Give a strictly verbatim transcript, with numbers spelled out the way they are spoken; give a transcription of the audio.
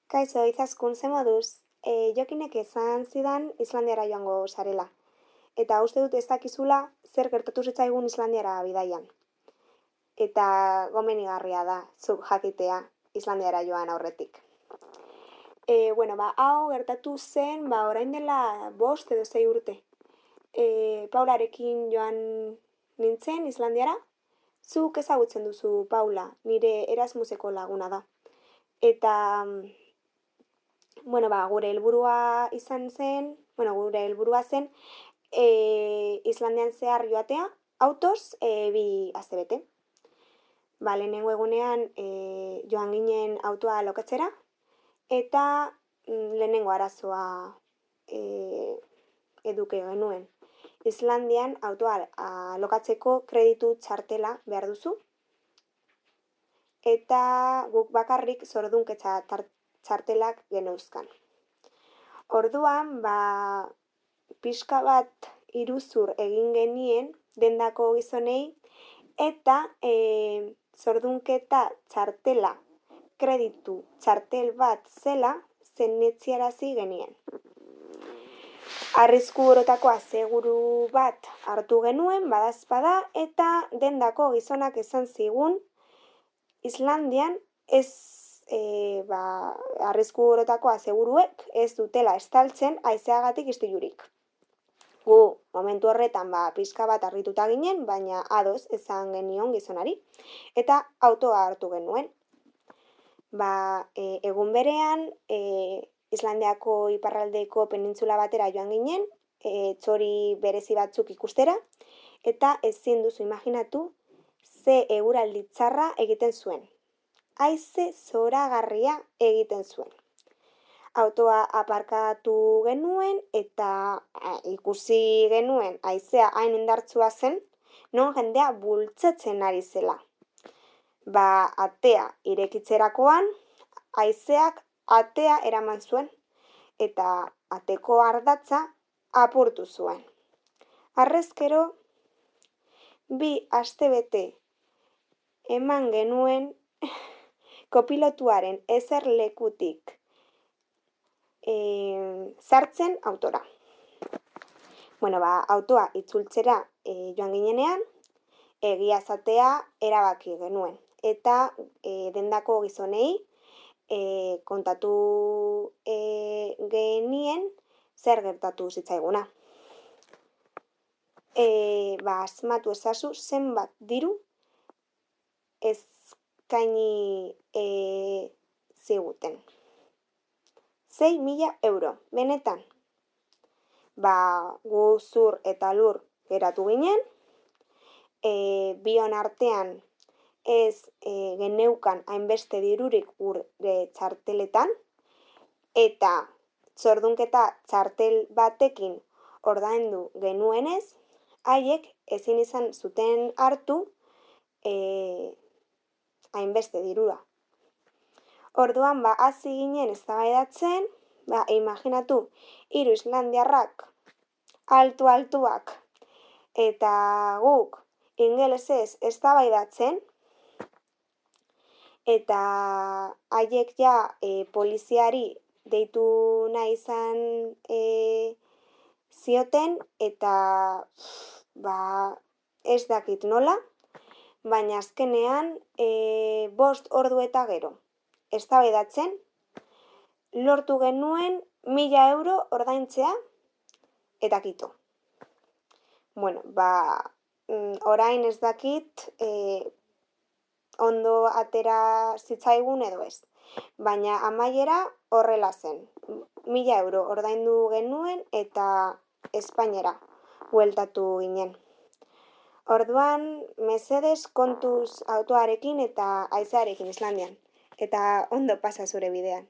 Kaixo, izaskun, ze moduz? E, jokinek esan zidan Islandiara joango sarela. Eta uste dut ez dakizula zer gertatu zitzaigun Islandiara bidaian. Eta gomenigarria da, zuk jakitea Islandiara joan aurretik. E, bueno, ba, hau gertatu zen, ba, orain dela bost edo zei urte. E, Paularekin joan nintzen Islandiara. Zuk ezagutzen duzu Paula, nire Erasmuseko laguna da. Eta, bueno, ba, gure helburua izan zen, bueno, gure helburua zen e, Islandian zehar joatea, autoz, e, bi astebete. Ba, lehenengo egunean e, joan ginen autoa lokatzera, eta mm, lehenengo arazoa e, eduke genuen. Islandian autoa lokatzeko kreditu txartela behar duzu, eta guk bakarrik zordunketza txartelak geneuzkan. Orduan, ba, pixka bat iruzur egin genien dendako gizonei, eta e, zordunketa txartela, kreditu txartel bat zela, zenetziarazi genien. Arrisku orotako aseguru bat hartu genuen, badazpada, eta dendako gizonak esan zigun, Islandian ez e, ba, arrisku orotako aseguruek ez dutela estaltzen haizeagatik istilurik. Gu, momentu horretan, ba, pixka bat harrituta ginen, baina ados esan genion gizonari, eta autoa hartu genuen. Ba, e, egun berean, e, Islandiako iparraldeko penintzula batera joan ginen, e, txori berezi batzuk ikustera, eta ezin duzu imaginatu ze eguraldi txarra egiten zuen. Haize zoragarria egiten zuen. Autoa aparkatu genuen eta a, ikusi genuen haizea hain indartsua zen, non jendea bultzatzen ari zela. Ba, atea irekitzerakoan, haizeak atea eraman zuen, eta ateko ardatza apurtu zuen. Harrezkero, bi astebete eman genuen kopilotuaren eserlekutik e, sartzen autora. Bueno, ba, autoa itzultzera e, joan ginenean, egia zatea erabaki genuen. Eta e, dendako gizonei e, kontatu e, genien zer gertatu zitzaiguna. E, ba, asmatu ezazu zenbat diru eskaini e, ziguten. Sei mila euro, benetan. Ba, gu zur eta lur geratu ginen, e, bion artean ez e, geneukan hainbeste dirurik gure txarteletan, eta zordunketa txartel batekin ordaindu genuenez, haiek ezin izan zuten hartu e, hainbeste dirua. Orduan, ba, hasi ginen eztabaidatzen, ba, imaginatu, hiru islandiarrak altu-altuak, eta guk ingelesez eztabaidatzen, eta haiek ja e, poliziari deitu nahi izan e, zioten, eta ba, ez dakit nola, baina azkenean e, bost ordu eta gero. Eztabaidatzen, lortu genuen mila euro ordaintzea, eta kito. Bueno, ba, orain ez dakit e, ondo atera zitzaigun edo ez. Baina amaiera horrela zen. Mila euro ordaindu genuen eta Espainiara bueltatu ginen. Orduan, mesedez kontuz autoarekin eta haizearekin Islandian. Eta ondo pasa zure bidean.